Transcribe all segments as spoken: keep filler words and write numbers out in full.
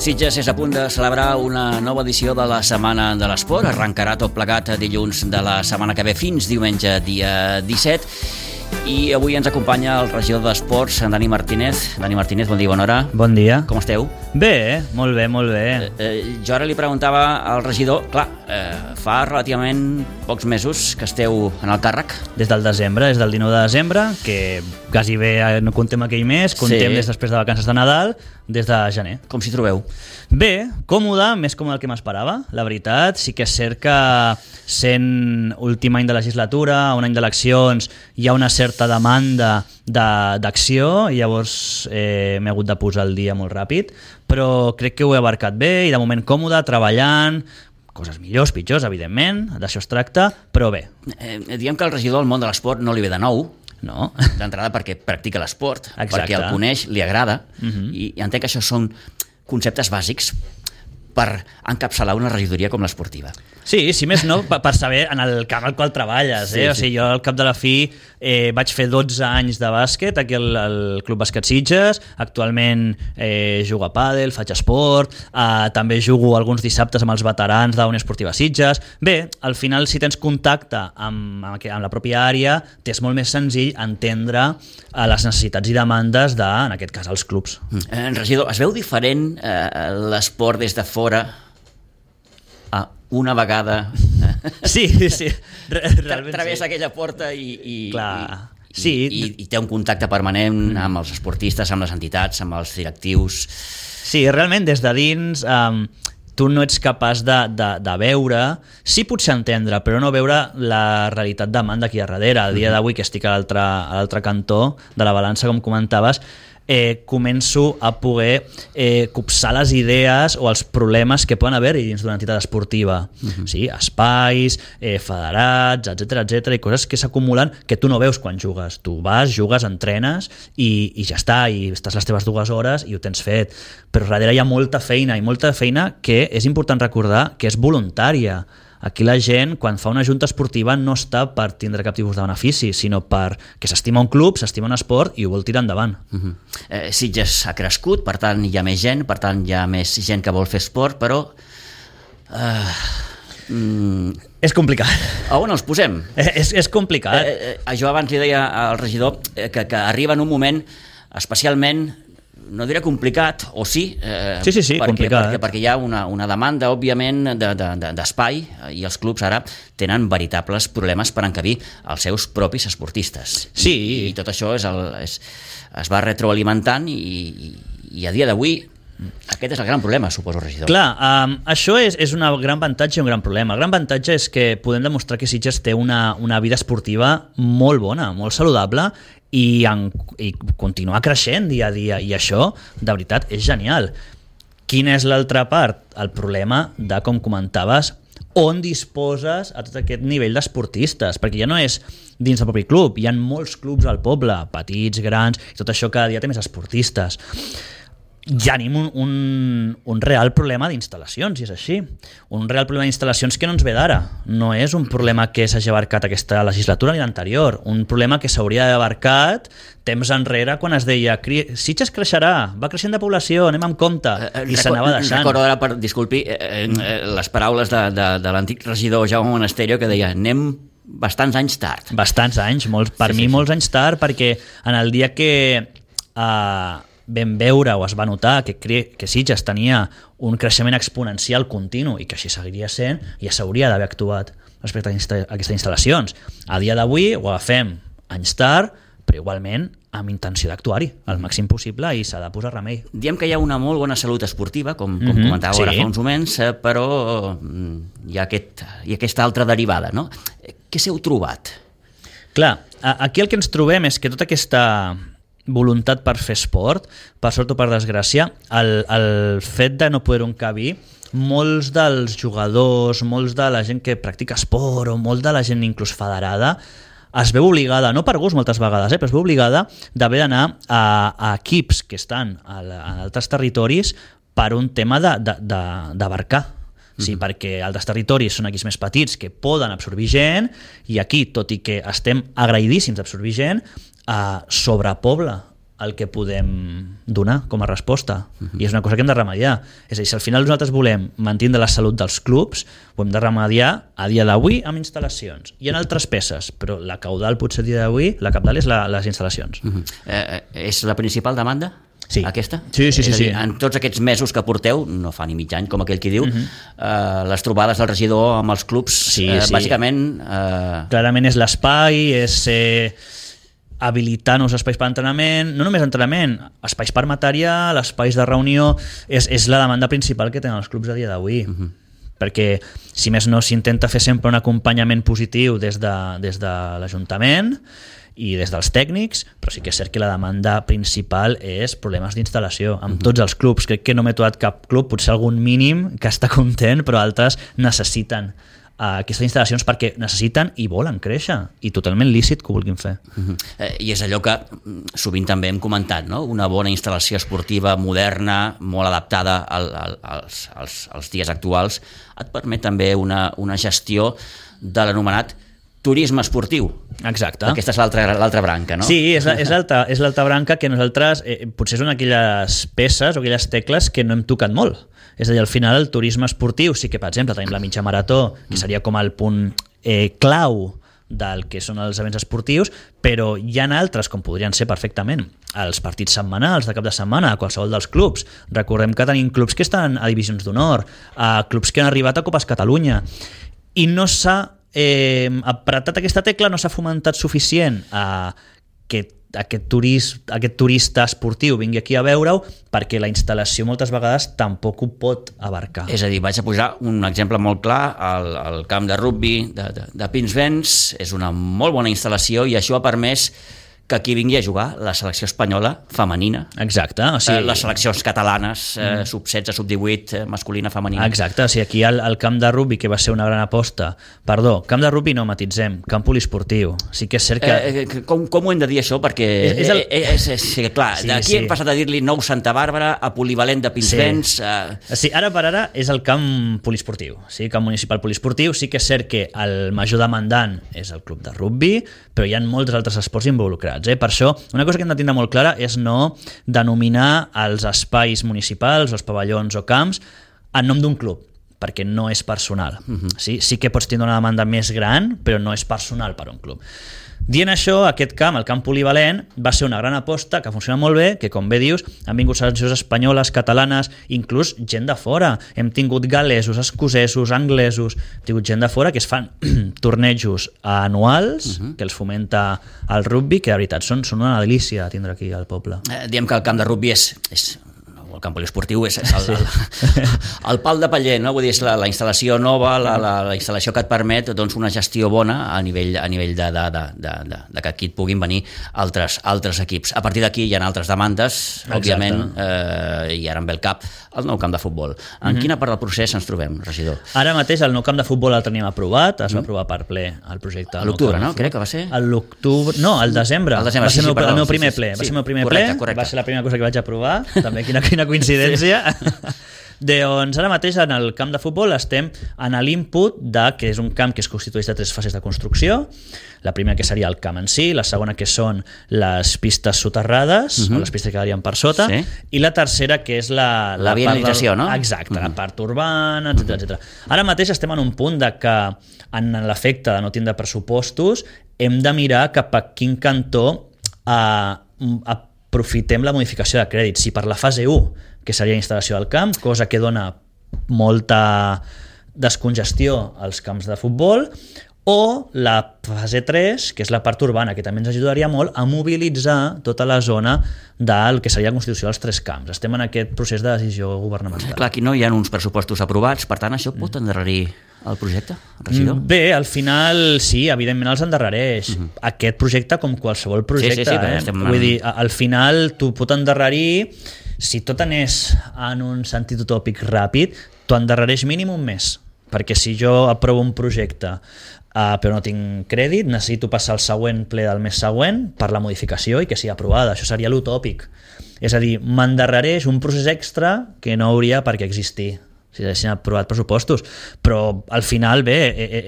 Sitges és a punt de celebrar una nova edició de la Setmana de l'Esport. Arrencarà tot plegat dilluns de la setmana que ve fins diumenge dia disset. I avui ens acompanya el regidor d'Esports, en Dani Martínez. Dani Martínez, bon dia, bona hora. Bon dia. Com esteu? Bé, molt bé, molt bé. Eh, eh, jo ara li preguntava al regidor, clar, eh, fa relativament pocs mesos que esteu en el càrrec. Des del desembre, des del dinou de desembre, que quasi bé no contem aquell mes, contem Sí. des després de vacances de Nadal, des de gener. Com s'hi trobeu? Bé, còmode, més còmode del que m'esperava, la veritat. Sí que és cert que sent últim any de legislatura, un any d'eleccions, hi ha una certa demanda de, d'acció, i llavors eh, m'he hagut de posar el dia molt ràpid, però crec que ho he abarcat bé i de moment còmode, treballant, coses millors, pitjors, evidentment, d'això es tracta, però bé. Eh, diguem que el regidor del món de l'esport no li ve de nou, No? d'entrada perquè practica l'esport, Exacte. perquè el coneix, li agrada, Mhm. i, i entenc que això són conceptes bàsics per encapçalar una regidoria com l'esportiva. Sí, si més no, per, per saber en el camp al qual treballes. Sí, Eh? O sí. sigui, jo al cap de la fi eh, vaig fer dotze anys de bàsquet aquí al, al Club Bàsquet Sitges. Actualment eh, jugo a pàdel, faig esport, eh, també jugo alguns dissabtes amb els veterans de la Unió Esportiva Sitges. Bé, al final, si tens contacte amb, amb, amb la pròpia àrea, t'és molt més senzill entendre eh, les necessitats i demandes de, en aquest cas, els clubs. Eh, regidor, es veu diferent eh, l'esport des de fora a una vegada Sí, sí. Re, tra travessa aquella porta i, i, Clar. i, Sí. i, i, i té un contacte permanent amb els esportistes, amb les entitats, amb els directius. Sí, realment des de dins um, tu no ets capaç de, de, de veure, sí potser entendre, però no veure la realitat demanda aquí a darrere. A dia d'avui, que estic a l'altre a l'altre cantó de la balança, com comentaves, eh, començo a poder eh, copsar les idees o els problemes que poden haver-hi dins d'una entitat esportiva. Uh-huh. Sí, espais, eh, federats, etcètera, etcètera, i coses que s'acumulen que tu no veus quan jugues. Tu vas, jugues, entrenes i, i ja està, i estàs les teves dues hores i ho tens fet. Però darrere hi ha molta feina, i molta feina que és important recordar que és voluntària. Aquí la gent, quan fa una junta esportiva, no està per tindre cap tipus de benefici, sinó per que s'estima un club, s'estima un esport i ho vol tirar endavant. Uh-huh. eh, Sitges ha crescut, per tant hi ha més gent, per tant hi ha més gent que vol fer esport, però eh, mm, És complicat. a on els posem? Eh, és, és complicat. Eh, eh, jo abans li deia al regidor eh, que, que arriba en un moment especialment, no diré complicat, o sí, eh, Sí, sí, sí, perquè, complicat. perquè, perquè hi ha una, una demanda, òbviament, de, de, de, d'espai, i els clubs ara tenen veritables problemes per encabir els seus propis esportistes. Sí. I, i tot això és el, és, es va retroalimentant i, i, i a dia d'avui aquest és el gran problema, suposo, regidor. Clar, um, això és, és un gran avantatge i un gran problema. El gran avantatge és que podem demostrar que Sitges té una, una vida esportiva molt bona, molt saludable, i, en, i continuar creixent dia a dia, i això, de veritat, és genial. Quina és l'altra part? El problema de, com comentaves, on disposes a tot aquest nivell d'esportistes, perquè ja no és dins del propi club, hi ha molts clubs al poble, petits, grans, i tot això cada dia té més esportistes. Ja tenim un, un, un real problema d'instal·lacions, i és així. Un real problema d'instal·lacions que no ens ve d'ara. No és un problema que s'hagi abarcat aquesta legislatura ni l'anterior. Un problema que s'hauria d'haver abarcat temps enrere, quan es deia Sitges creixerà, va creixent de població, anem amb compte, Eh, i s'anava deixant. Recordo ara, per, disculpi, eh, eh, les paraules de, de, de l'antic regidor Jaume Monasterio, que deia anem bastants anys tard. Bastants anys, molts, per Sí, mi sí, sí. molts anys tard, perquè en el dia que eh, vam veure o es va notar que, cre que Sitges tenia un creixement exponencial continu i que així seguiria sent, ja s'hauria d'haver actuat respecte a, insta a aquestes instal·lacions. A dia d'avui ho agafem anys tard, però igualment amb intenció d'actuar-hi al màxim possible, i s'ha de posar remei. Diem que hi ha una molt bona salut esportiva, com, com Mhm, comentava ara sí. fa uns moments, eh, però mm, hi ha, aquest, hi ha aquesta altra derivada, no? Eh, Què s'heu trobat? Clar, a- aquí el que ens trobem és que tota aquesta voluntat per fer esport, per sort o per desgràcia, el, el fet de no poder-ho encabir, molts dels jugadors, molts de la gent que practica esport, o molt de la gent inclús federada, es veu obligada, no per gust moltes vegades, eh, però es veu obligada d'haver d'anar a, a equips que estan a, la, a altres territoris per un tema d'abarcar. Sí, mm-hmm. perquè altres territoris són equips més petits que poden absorbir gent, i aquí, tot i que estem agraïdíssims d'absorbir gent, eh, sobrepobla el que podem donar com a resposta. Uh-huh. I és una cosa que hem de remediar. És a dir, si al final nosaltres volem mantenir la salut dels clubs, ho hem de remediar a dia d'avui amb instal·lacions. Hi ha altres peces, però la caudal potser a dia d'avui, la cabdal és la, les instal·lacions. Uh-huh. eh, és la principal demanda? Sí. Aquesta? Sí, sí, sí, és a dir, sí. En tots aquests mesos que porteu, no fa ni mig any, com aquell qui diu, uh-huh. eh, les trobades del regidor amb els clubs, sí, eh, sí. bàsicament... Eh... Clarament és l'espai, és eh, habilitar nous espais per entrenament, no només entrenament, espais per material, espais de reunió, és, és la demanda principal que tenen els clubs a dia d'avui. Uh-huh. Perquè, si més no, s'intenta fer sempre un acompanyament positiu des de, des de l'Ajuntament i des dels tècnics, però sí que és cert que la demanda principal és problemes d'instal·lació amb uh-huh. tots els clubs. Crec que no m'he trobat cap club, potser algun mínim que està content, però altres necessiten uh, aquestes instal·lacions perquè necessiten i volen créixer, i totalment lícit que ho vulguin fer. Uh-huh. eh, I és allò que sovint també hem comentat, no? Una bona instal·lació esportiva moderna, molt adaptada al, al, als, als, als dies actuals, et permet també una, una gestió de l'anomenat turisme esportiu. Exacte. Aquesta és l'altra l'altra branca, no? Sí, és, és l'altra és l'altra branca que nosaltres, eh, potser són aquelles peces o aquelles tecles que no hem tocat molt. És a dir, al final el turisme esportiu sí que, per exemple, tenim la mitja marató, que seria com el punt eh, clau del que són els events esportius, però hi ha altres, com podrien ser perfectament els partits setmanals de cap de setmana a qualsevol dels clubs. Recordem que tenim clubs que estan a divisions d'honor, a clubs que han arribat a Copes Catalunya, i no s'ha eh, apretat aquesta tecla, no s'ha fomentat suficient a que aquest, turist, aquest turista esportiu vingui aquí a veure-ho, perquè la instal·lació moltes vegades tampoc ho pot abarcar. És a dir, vaig a posar un exemple molt clar, el, el camp de rugbi de, de, de Pinsbens és una molt bona instal·lació i això ha permès que aquí vingui a jugar la selecció espanyola femenina. Exacte. O sigui... eh, les seleccions catalanes, eh, sub setze, sub divuit, eh, masculina, femenina. Exacte. O sigui, aquí el, el camp de rugbi, que va ser una gran aposta... Perdó, camp de rugbi no, matitzem, camp poliesportiu. Sí que és cert que... Eh, eh, com, com ho hem de dir això? Perquè, és, és, el... eh, és, és, és clar, sí, d'aquí sí. hem passat a dir-li nou Santa Bàrbara, a polivalent de Pinsbens... Sí. Eh... Sí, ara per ara és el camp poliesportiu, sí, camp municipal poliesportiu. Sí que és cert que el major demandant és el club de rugbi, però hi ha molts altres esports involucrats. Eh? Per això, una cosa que hem de tindre molt clara és no denominar els espais municipals, els pavellons o camps en nom d'un club, perquè no és personal. Uh-huh. Sí? Sí que pots tindre una demanda més gran, però no és personal per a un club. Dient això, aquest camp, el camp polivalent, va ser una gran aposta que funciona molt bé, que com bé dius, han vingut seleccions espanyoles, catalanes, inclús gent de fora. Hem tingut gal·lesos, escocesos, anglesos, hem tingut gent de fora que es fan tornejos anuals, uh-huh. que els fomenta el rugbi, que de veritat són, són una delícia tindre aquí al poble. Eh, diem que el camp de rugbi és... és... el camp poliesportiu és, és el, sí. el, el pal de paller, no? Vull dir, és la, la instal·lació nova, la, la, la instal·lació que et permet doncs, una gestió bona a nivell, a nivell de, de, de, de, de, de que aquí et puguin venir altres, altres equips. A partir d'aquí hi ha altres demandes, exacte. Òbviament, eh, i ara em ve el cap, el nou camp de futbol. En mm-hmm. quina part del procés ens trobem, regidor? Ara mateix el nou camp de futbol el teníem aprovat, es mm-hmm. va aprovar per ple el projecte. A l'octubre, no? Crec que va ser? A l'octubre, no, al desembre. Al desembre, va ser sí, el meu, sí, perdó, el meu primer sí, sí, ple. sí, Va ser el meu primer correcte, ple, correcte. Va ser la primera cosa que vaig aprovar, també quina, quina coincidència. Sí. Doncs ara mateix en el camp de futbol estem en l'input de que és un camp que es constitueix de tres fases de construcció. La primera que seria el camp en si, la segona que són les pistes soterrades, uh-huh. o les pistes que quedarien per sota, sí. i la tercera que és la... La, la viabilització, del... no? Exacte, uh-huh. la part urbana, etcètera, etcètera. Ara mateix estem en un punt de que en l'efecte de no tindre pressupostos hem de mirar cap a quin cantó a, a aprofitem la modificació de crèdit. Si per la fase u, que seria instal·lació del camp, cosa que dona molta descongestió als camps de futbol, o la fase tres, que és la part urbana, que també ens ajudaria molt a mobilitzar tota la zona del que seria la constitució dels tres camps. Estem en aquest procés de decisió governamental. Clar, aquí no hi ha uns pressupostos aprovats, per tant, això pot endarrerir el projecte, regidor? Bé, al final sí, evidentment els endarrereix. Uh-huh. Aquest projecte com qualsevol projecte. Sí, sí, sí, eh? estem... Vull dir, al final tu pot endarrerir, si tot anés en un sentit utòpic ràpid, t'ho endarrereix mínim un mes. Perquè si jo aprovo un projecte uh, però no tinc crèdit, necessito passar al següent ple del mes següent per la modificació i que sigui aprovada. Això seria l'utòpic. És a dir, m'endarrereix un procés extra que no hauria per què existir si haguessin aprovat pressupostos, però al final bé,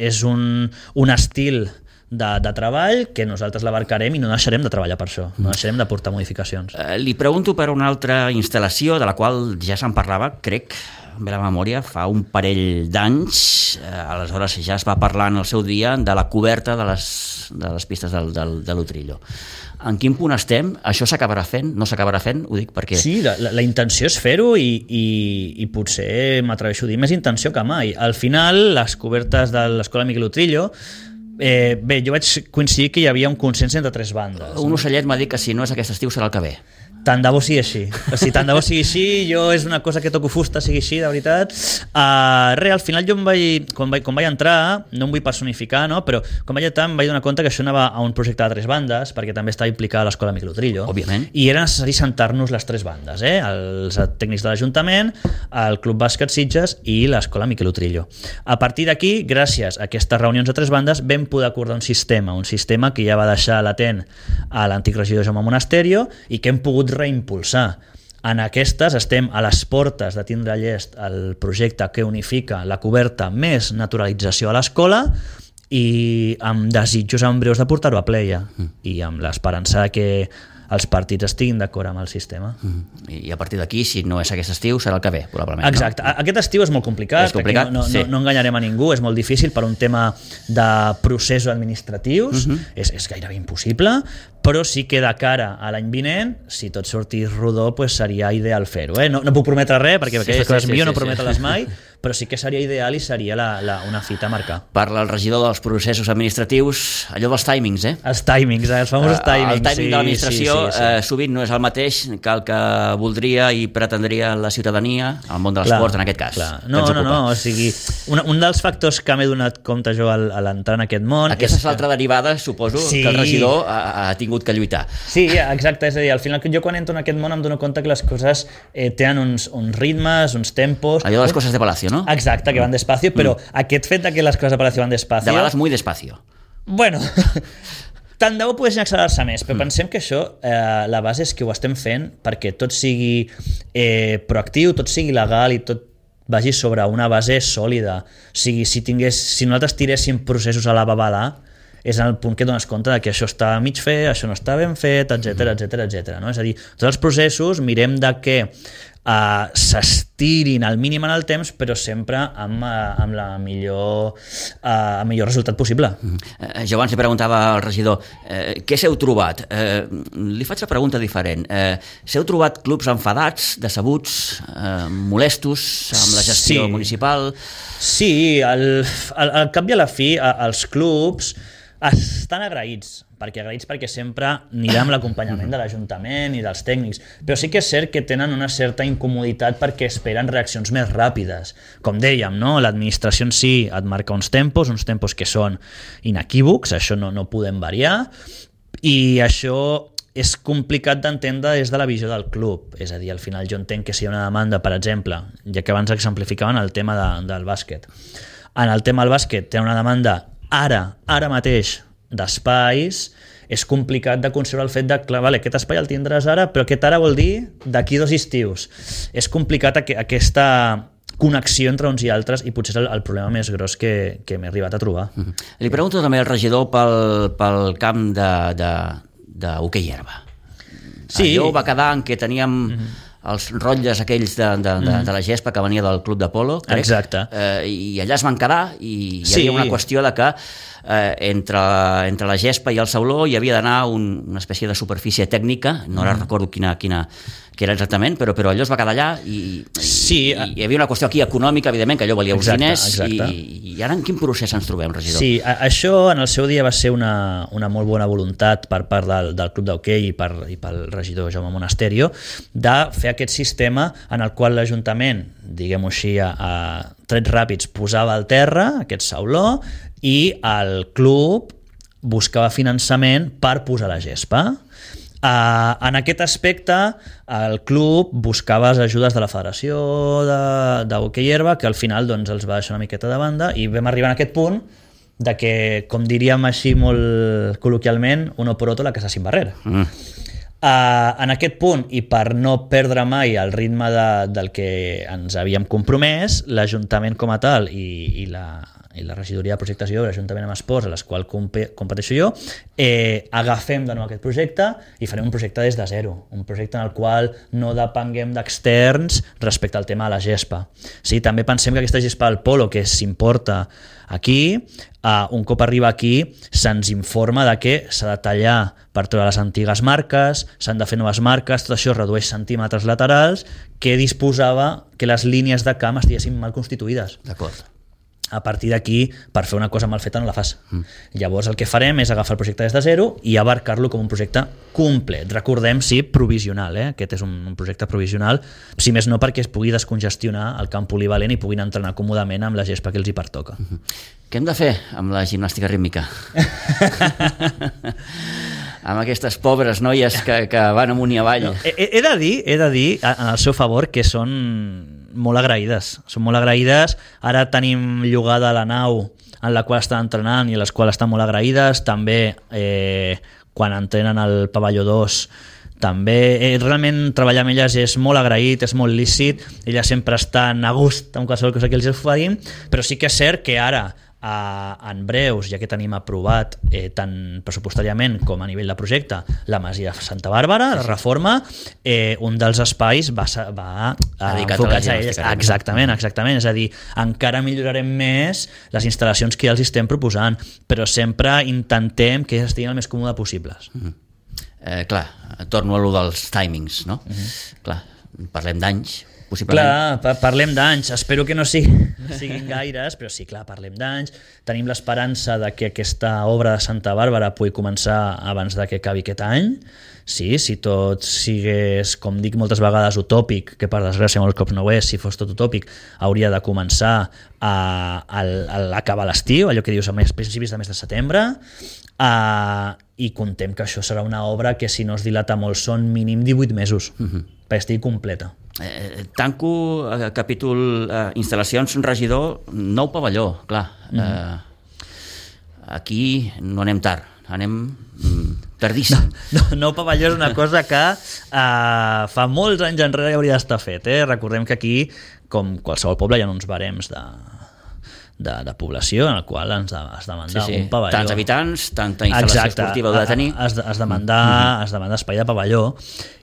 és un, un estil de, de treball que nosaltres l'abarcarem i no deixarem de treballar per això, no deixarem de portar modificacions. Eh, li pregunto per una altra instal·lació de la qual ja se'n parlava, crec, amb la memòria, fa un parell d'anys, eh, aleshores ja es va parlar en el seu dia de la coberta de les, de les pistes del, del, de l'Utrillo. En quin punt estem? Això s'acabarà fent? No s'acabarà fent? Ho dic perquè... Sí, la, la, la intenció és fer-ho i, i, i potser m'atreveixo a dir més intenció que mai. Al final, les cobertes de l'Escola Miquel Utrillo, eh, bé, jo vaig coincidir que hi havia un consens entre tres bandes. Un ocellet m'ha dit que si no és aquest estiu serà el que ve. Tant de bo sigui així. O sigui, tant de bo sigui així, jo és una cosa que toco fusta, sigui així, de veritat. Uh, re, al final jo em vaig, quan vaig, quan vaig entrar, no em vull personificar, no? Però quan vaig entrar em vaig donar compte que això anava a un projecte de tres bandes, perquè també estava implicada l'Escola Miquel Utrillo. Òbviament. I era necessari sentar-nos les tres bandes, eh? Els tècnics de l'Ajuntament, el Club Bàsquet Sitges i l'Escola Miquel Utrillo. A partir d'aquí, gràcies a aquestes reunions de tres bandes, vam poder acordar un sistema, un sistema que ja va deixar latent a l'antic regidor Jaume Monasterio i que hem pogut reimpulsar. En aquestes estem a les portes de tindre llest el projecte que unifica la coberta més naturalització a l'escola i amb desitjos en breus de portar-ho a pleia mm. i amb l'esperança que els partits estiguin d'acord amb el sistema. Mm. I a partir d'aquí, si no és aquest estiu, serà el que ve, probablement. Exacte. No? Aquest estiu és molt complicat, és complicat no, no, sí. no, no enganyarem a ningú, és molt difícil per un tema de processos administratius, uh-huh. és, és gairebé impossible, però sí que de cara a l'any vinent, si tot sortís rodó, pues seria ideal fer-ho. Eh? No, no puc prometre res, perquè sí, aquestes coses sí, millor sí, no prometre-les sí. mai, però sí que seria ideal i seria la, la, una fita a marcar. Parla el regidor dels processos administratius, allò dels timings, eh? Els timings, eh? Els famosos timings. El timing sí, de l'administració sí, sí, sí. Eh, sovint no és el mateix que el que voldria i pretendria la ciutadania, el món de l'esport en aquest cas. Clar. No, no, no, o sigui, un, un dels factors que m'he donat compte jo al, a l'entrar en aquest món... Aquesta és, és l'altra que... derivada, suposo, sí. que el regidor ha, ha tingut que lluitar. Sí, exacte, és a dir, al final jo quan entro en aquest món em dono compte que les coses eh, tenen uns, uns ritmes, uns tempos... Allò de les coses de Palacio, no? Exacte, que van despacio, però mm. aquest fet de que les coses de Palacio van despacio... De vegades muy despacio. Bueno... Tant de bo poguessin accelerar-se més, però mm. pensem que això, eh, la base és que ho estem fent perquè tot sigui eh, proactiu, tot sigui legal i tot vagi sobre una base sòlida. O sigui, si, tingués, si nosaltres tiréssim processos a la babalà, és en el punt que dones compte de que això està mig fet, això no està ben fet, etcètera, etcètera, etcètera. No? És a dir, tots els processos mirem de que Uh, s'estirin al mínim en el temps, però sempre amb, uh, amb la millor, uh, el millor resultat possible. Mm. Uh, jo abans li preguntava al regidor uh, què s'heu trobat? Uh, li faig la pregunta diferent. Uh, s'heu trobat clubs enfadats, decebuts, uh, molestos amb la gestió sí. municipal? Sí, al, al, al cap i a la fi, a, els clubs estan agraïts, perquè agraïts perquè sempre anirà amb l'acompanyament de l'Ajuntament i dels tècnics, però sí que és cert que tenen una certa incomoditat perquè esperen reaccions més ràpides. Com dèiem, no? L'administració en si et marca uns tempos, uns tempos que són inequívocs, això no, no podem variar, i això és complicat d'entendre des de la visió del club. És a dir, al final jo entenc que si hi ha una demanda, per exemple, ja que abans exemplificaven el tema de, del bàsquet. En el tema del bàsquet té una demanda ara, ara mateix, d'espais, és complicat de concebre el fet de, clar, vale, aquest espai el tindràs ara, però aquest ara vol dir d'aquí dos estius. És complicat aqu aquesta connexió entre uns i altres i potser és el, el problema més gros que, que m'he arribat a trobar. Mm-hmm. Li pregunto també al regidor pel, pel camp de, de, de hoquei herba. Sí. Allò va quedar en què teníem... Mm-hmm. els rotlles aquells de, de, de, de la gespa que venia del club de polo, crec. Exacte. Eh, i allà es van quedar i hi sí. havia una qüestió de que eh, entre, entre la gespa i el sauló hi havia d'anar un, una espècie de superfície tècnica, no ara mm. recordo quina, quina que era exactament, però, però allò es va quedar allà i, sí. i, i hi havia una qüestió aquí econòmica, evidentment, que allò valia uns exacte, diners exacte. I, i ara en quin procés ens trobem, regidor? Sí, a, això en el seu dia va ser una, una molt bona voluntat per part del, del club d'hoquei i, per, i pel regidor Jaume Monasterio de fer aquest sistema en el qual l'Ajuntament, diguem-ho així, a, a trets ràpids posava al terra aquest sauló i el club buscava finançament per posar la gespa. Uh, en aquest aspecte el club buscava les ajudes de la Federació d'Hoquei Herba, que al final doncs, els va deixar una miqueta de banda i vam arribar a aquest punt de que, com diríem així molt col·loquialment, uno por otro la casa sin barrer. Mm. Uh, en aquest punt, i per no perdre mai el ritme de, del que ens havíem compromès, l'Ajuntament com a tal i, i, la, i la regidoria de projectes i obres juntament amb esports, a les quals competeixo jo, eh, agafem de nou aquest projecte i farem un projecte des de zero, un projecte en el qual no depenguem d'externs respecte al tema de la gespa. Sí, també pensem que aquesta gespa del polo que s'importa aquí, uh, un cop arriba aquí se'ns informa de que s'ha de tallar per treure les antigues marques, s'han de fer noves marques, tot això redueix centímetres laterals que disposava que les línies de camp estiguessin mal constituïdes. D'acord. A partir d'aquí, per fer una cosa mal feta no la fas. Mm. Llavors el que farem és agafar el projecte des de zero i abarcar-lo com un projecte complet. Recordem, sí, provisional, eh? Aquest és un, un projecte provisional, si més no perquè es pugui descongestionar el camp polivalent i puguin entrenar còmodament amb la gespa que els hi pertoca. Mm-hmm. Què hem de fer amb la gimnàstica rítmica? Amb aquestes pobres noies que, que van amunt i avall. No, he, he de dir, he de dir en el seu favor que són molt agraïdes, són molt agraïdes. Ara tenim llogada la nau en la qual estan entrenant i a les quals estan molt agraïdes. També eh, quan entrenen al pavelló dos també, eh, realment treballar amb elles és molt agraït, és molt lícit, elles sempre estan a gust amb qualsevol cosa que els oferim, però sí que és cert que ara Uh, en breus, ja que tenim aprovat eh, tant pressupostàriament com a nivell de projecte la Masia Santa Bàrbara, la reforma, eh, un dels espais va, va uh, enfocats a ells. Exactament, exactament, és a dir, encara millorarem més les instal·lacions que ja els estem proposant, però sempre intentem que estiguin el més còmode possibles. Mm-hmm. eh, clar, torno a lo dels timings, no? Mm-hmm. Clar, parlem d'anys. Clar, parlem d'anys, espero que no siguin, siguin gaires, però sí, clar, parlem d'anys. Tenim l'esperança de que aquesta obra de Santa Bàrbara pugui començar abans de que acabi aquest any. Sí, si tot sigués, com dic moltes vegades, utòpic, que per desgràcia molts cops no ho és, si fos tot utòpic, hauria de començar a, a, a acabar l'estiu, allò que dius a principis de mes de setembre, a, i contem que això serà una obra que si no es dilata molt són mínim divuit mesos, uh-huh. perquè estigui completa. Eh, tanco eh, capítol eh, instal·lacions regidor, nou pavelló, clar. Mm. Eh, aquí no anem tard, anem mm, tardíssim. No, no, nou pavelló és una cosa que eh, fa molts anys enrere hauria d'estar fet. Eh? Recordem que aquí, com qualsevol poble, hi ha uns barems de, de, de població en el qual ens has de mandar sí, sí. un pavelló. Tants habitants, tanta instal·lació Exacte. esportiva heu de tenir. Has de, has de mandar, mm-hmm. has de mandar espai de pavelló.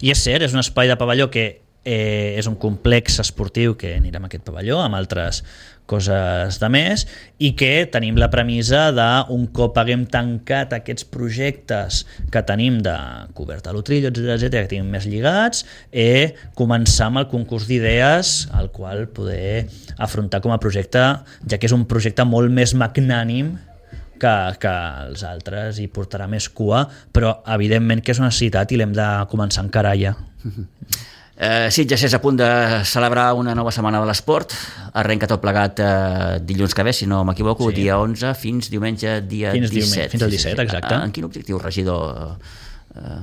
I és cert, és un espai de pavelló que Eh, és un complex esportiu que anirem a aquest pavelló amb altres coses de més i que tenim la premissa d'un cop haguem tancat aquests projectes que tenim de coberta a l'Utrillo, etcètera, etcètera, que tenim més lligats, eh, començar amb el concurs d'idees al qual poder afrontar com a projecte, ja que és un projecte molt més magnànim que, que els altres, i portarà més cua, però evidentment que és una necessitat i l'hem de començar a encarar ja. Eh, Sitges és a punt de celebrar una nova setmana de l'esport, arrenca tot plegat eh, dilluns que ve, si no m'equivoco, sí. dia onze fins diumenge dia fins disset. Diumenge, fins al disset, exacte. En quin objectiu, regidor, eh,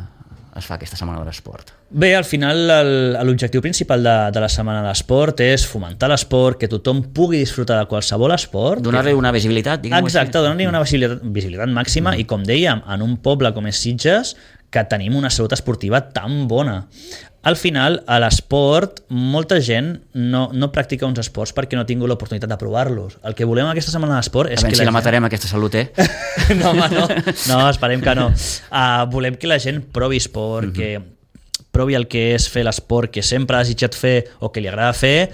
es fa aquesta setmana de l'esport? Bé, al final l'objectiu principal de, de la setmana de l'esport és fomentar l'esport, que tothom pugui disfrutar de qualsevol esport. Donar-li una visibilitat, diguem-ho així. Exacte, donar-li una visibilitat, visibilitat màxima mm. i, com dèiem, en un poble com és Sitges, que tenim una salut esportiva tan bona. Al final, a l'esport, molta gent no, no practica uns esports perquè no ha tingut l'oportunitat de provar-los. El que volem aquesta setmana de l'esport és a que si la, la matarem, gent... aquesta salut, eh? no, home, no. No, esperem que no. Uh, volem que la gent provi esport, uh-huh. que provi el que és fer l'esport que sempre ha desitjat fer o que li agrada fer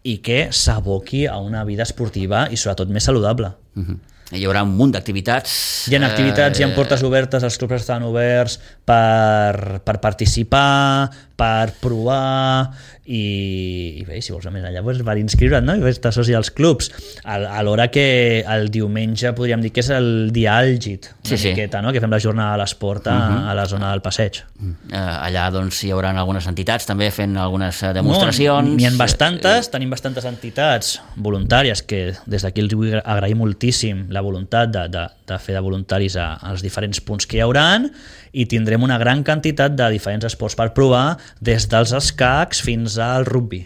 i que s'aboqui a una vida esportiva i sobretot més saludable. Uh-huh. Hi haurà un munt d'activitats. Hi ha activitats, eh... hi ha portes obertes, els clubs estan oberts per, per participar, per provar i, i bé, si vols anar més enllà, doncs per inscriure't, no? I estar soci als clubs. A, a l'hora que el diumenge podríem dir que és el dia àlgid, una sí, sí. miqueta, no? Que fem la jornada de l'esport a, uh-huh. a la zona del passeig. Uh, allà doncs hi haurà algunes entitats també fent algunes demostracions. No, n'hi ha bastantes, tenim bastantes entitats voluntàries que des d'aquí els vull agrair moltíssim la voluntat de, de, de fer de voluntaris a, als diferents punts que hi hauran, i tindrem una gran quantitat de diferents esports per provar, des dels escacs fins al rugby.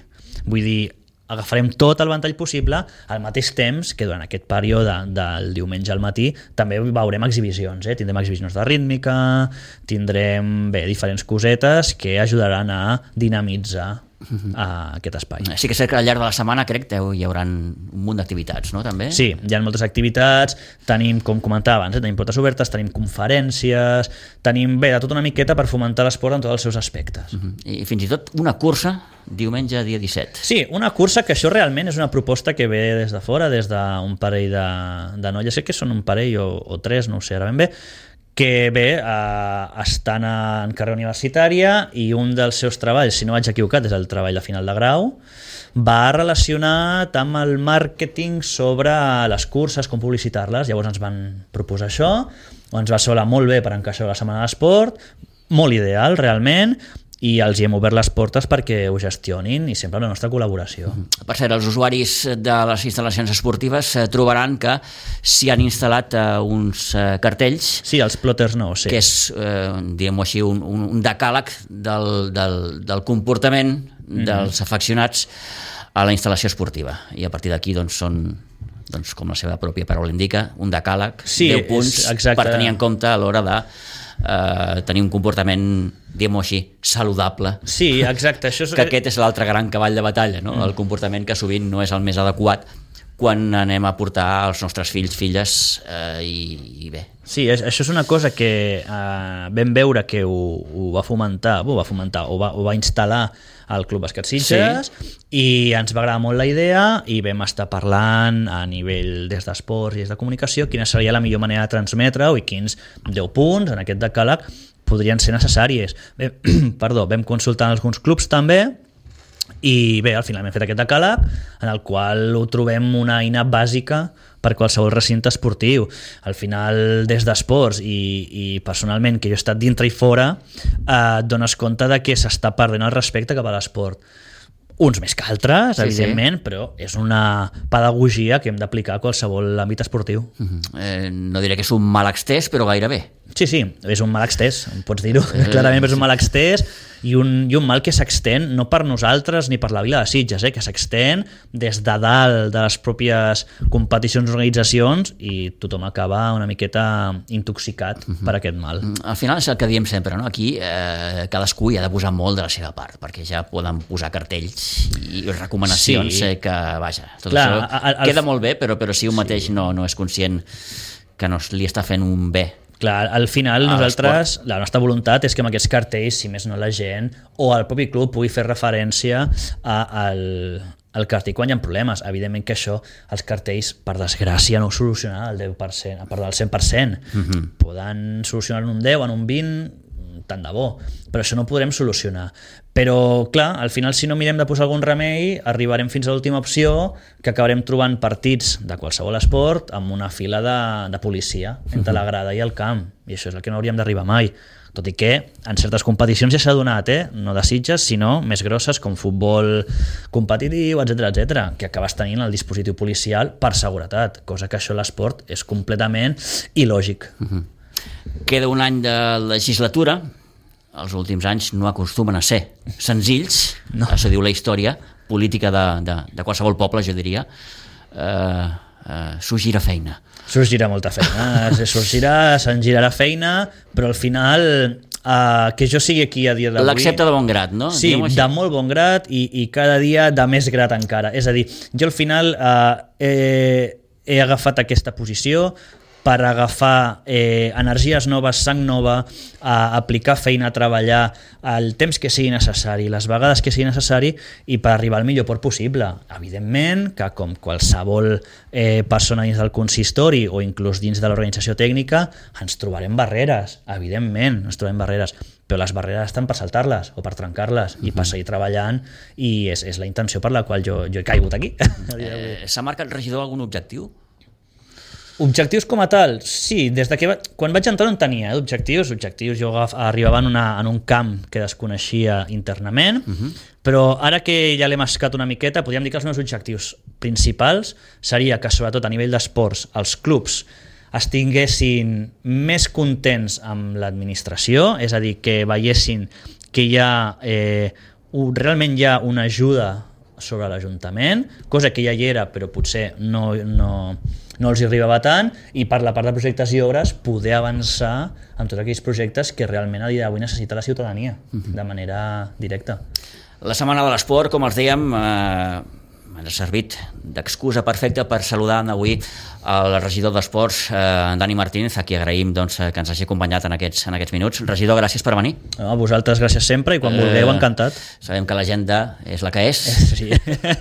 Vull dir, agafarem tot el ventall possible al mateix temps que durant aquest període del diumenge al matí també veurem exhibicions, eh? Tindrem exhibicions de rítmica, tindrem bé, diferents cosetes que ajudaran a dinamitzar a aquest espai. Sí que és cert que al llarg de la setmana crec que hi haurà un munt d'activitats, no? També? Sí, hi ha moltes activitats, tenim, com comentava abans, eh, tenim portes obertes, tenim conferències, tenim, bé, de tot una miqueta per fomentar l'esport en tots els seus aspectes. Uh-huh. I fins i tot una cursa diumenge dia disset. Sí, una cursa que això realment és una proposta que ve des de fora, des d'un parell de, de noies, sé que són un parell o, o tres, no ho sé ara ben bé, que bé, eh, estan en carrera universitària i un dels seus treballs, si no vaig equivocat, és el treball de final de grau, va relacionat amb el màrqueting sobre les curses, com publicitar-les. Llavors ens van proposar això, ens va solar molt bé per encaixar la Setmana de l'Esport, molt ideal realment, i els hi hem obert les portes perquè ho gestionin i sempre la nostra col·laboració. Per cert, els usuaris de les instal·lacions esportives trobaran que s'hi han instal·lat uns cartells. Sí, els plotters no, sí. Que és, eh, diguem-ho així, un, un decàleg del, del, del comportament mm-hmm. dels afeccionats a la instal·lació esportiva. I a partir d'aquí doncs, són, doncs, com la seva pròpia paraula indica, un decàleg, sí, deu punts per tenir en compte a l'hora de Uh, tenir un comportament, diguem-ho així, saludable. Sí, exacte. Això és... que aquest és l'altre gran cavall de batalla, no? Mm. El comportament que sovint no és el més adequat quan anem a portar els nostres fills, filles, eh, i, i bé. Sí, això és una cosa que eh, vam veure que ho, ho va fomentar, ho va fomentar, ho va, ho va instal·lar al Club Bàsquet Sitges, sí. I ens va agradar molt la idea i vam estar parlant a nivell des d'esports i des de comunicació quina seria la millor manera de transmetre-ho i quins deu punts en aquest decàleg podrien ser necessàries. Bé, perdó, vam consultar alguns clubs també i bé, al final hem fet aquest decàleg en el qual ho trobem una eina bàsica per qualsevol recinte esportiu. Al final, des d'esports i, i personalment, que jo he estat dintre i fora, eh, et dones compte de que s'està perdent el respecte cap a l'esport. Uns més que altres, sí, evidentment, sí. Però és una pedagogia que hem d'aplicar a qualsevol àmbit esportiu. Uh-huh. eh, no diré que és un mal extès, però gairebé. Sí, sí, és un mal extès, pots dir-ho. Eh, Clarament és un mal extès i un, i un mal que s'extén no per nosaltres ni per la vila de Sitges, eh, que s'extén des de dalt de les pròpies competicions i organitzacions i tothom acaba una miqueta intoxicat uh-huh. per aquest mal. Al final és el que diem sempre, no? Aquí eh, cadascú hi ha de posar molt de la seva part, perquè ja poden posar cartells i recomanacions sí. eh, que, vaja, tot Clar, això a, a, queda molt bé, però, però si un sí. mateix no, no és conscient que no li està fent un bé. Clar, al final nosaltres, la nostra voluntat és que amb aquests cartells, si més no la gent, o el propi club pugui fer referència a, al, al cartell quan hi ha problemes. Evidentment que això, els cartells, per desgràcia, no ho solucionen al deu per cent, a part del cent per cent. Uh-huh. Poden solucionar en un deu, en un vint, tant de bo, però això no ho podrem solucionar. Però, clar, al final, si no mirem de posar algun remei, arribarem fins a l'última opció, que acabarem trobant partits de qualsevol esport amb una fila de, de policia entre la grada i el camp, i això és el que no hauríem d'arribar mai. Tot i que en certes competicions ja s'ha donat, eh? No de Sitges, sinó més grosses, com futbol competitiu, etcètera, etcètera, que acabes tenint el dispositiu policial per seguretat, cosa que això a l'esport és completament il·lògic. Uh-huh. Queda un any de legislatura. Els últims anys no acostumen a ser senzills, no. Això diu la història política de, de, de qualsevol poble, jo diria. Eh, eh, sorgirà feina. Sorgirà molta feina, sorgirà, se'n girarà feina, però al final eh, que jo sigui aquí a dia d'avui... L'accepta de bon grat, no? Sí, de molt bon grat i, i cada dia de més grat encara. És a dir, jo al final eh, he, he agafat aquesta posició per agafar eh, energies noves, sang nova, a aplicar feina, a treballar el temps que sigui necessari, les vegades que sigui necessari i per arribar al millor port possible. Evidentment que com qualsevol eh, persona dins del consistori o inclús dins de l'organització tècnica ens trobarem barreres, evidentment ens trobarem barreres, però les barreres estan per saltar-les o per trencar-les uh-huh. i per seguir treballant i és, és la intenció per la qual jo, jo he caigut aquí. Eh, S'ha marcat regidor algun objectiu? Objectius com a tal, sí, des de que va... quan vaig entrar no en tenia eh, objectius, objectius jo arribava en, una, en un camp que desconeixia internament, uh-huh. però ara que ja l'he mascat una miqueta, podríem dir que els meus objectius principals seria que sobretot a nivell d'esports els clubs estiguessin més contents amb l'administració, és a dir, que veiessin que hi ha eh, un, realment hi ha una ajuda sobre l'Ajuntament, cosa que ja hi era però potser no, no, no els hi arribava tant, i per la part de projectes i obres poder avançar en tots aquells projectes que realment a dia d'avui necessita la ciutadania uh-huh. de manera directa. La Setmana de l'Esport, com els dèiem, eh, ens ha servit d'excusa perfecta per saludar avui el regidor d'Esports, eh, Dani Martínez, a qui agraïm doncs, que ens hagi acompanyat en aquests, en aquests minuts. Regidor, gràcies per venir. No, a vosaltres gràcies sempre i quan eh, vulgueu, encantat. Sabem que l'agenda és la que és. Sí,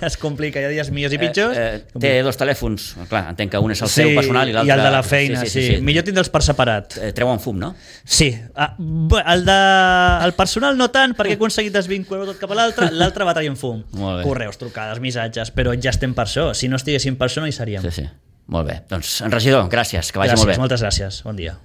es complica, hi ha dies millors i pitjors. Eh, eh, té dos telèfons, clar, entenc que un és el sí, seu personal i l'altre... i el de la feina, sí. sí, sí, sí. Millor tindre'ls per separat. Eh, treuen fum, no? Sí. Ah, el, de, el personal no tant, perquè he aconseguit desvincular-ho tot cap a l'altre, l'altre va traient fum. Correus, trucades, missatges, però ja estem per això. Si no estiguéssim per això no hi seríem. Sí, sí. Molt bé. Doncs, regidor, gràcies, que vagi gràcies, molt bé. Moltes gràcies. Bon dia.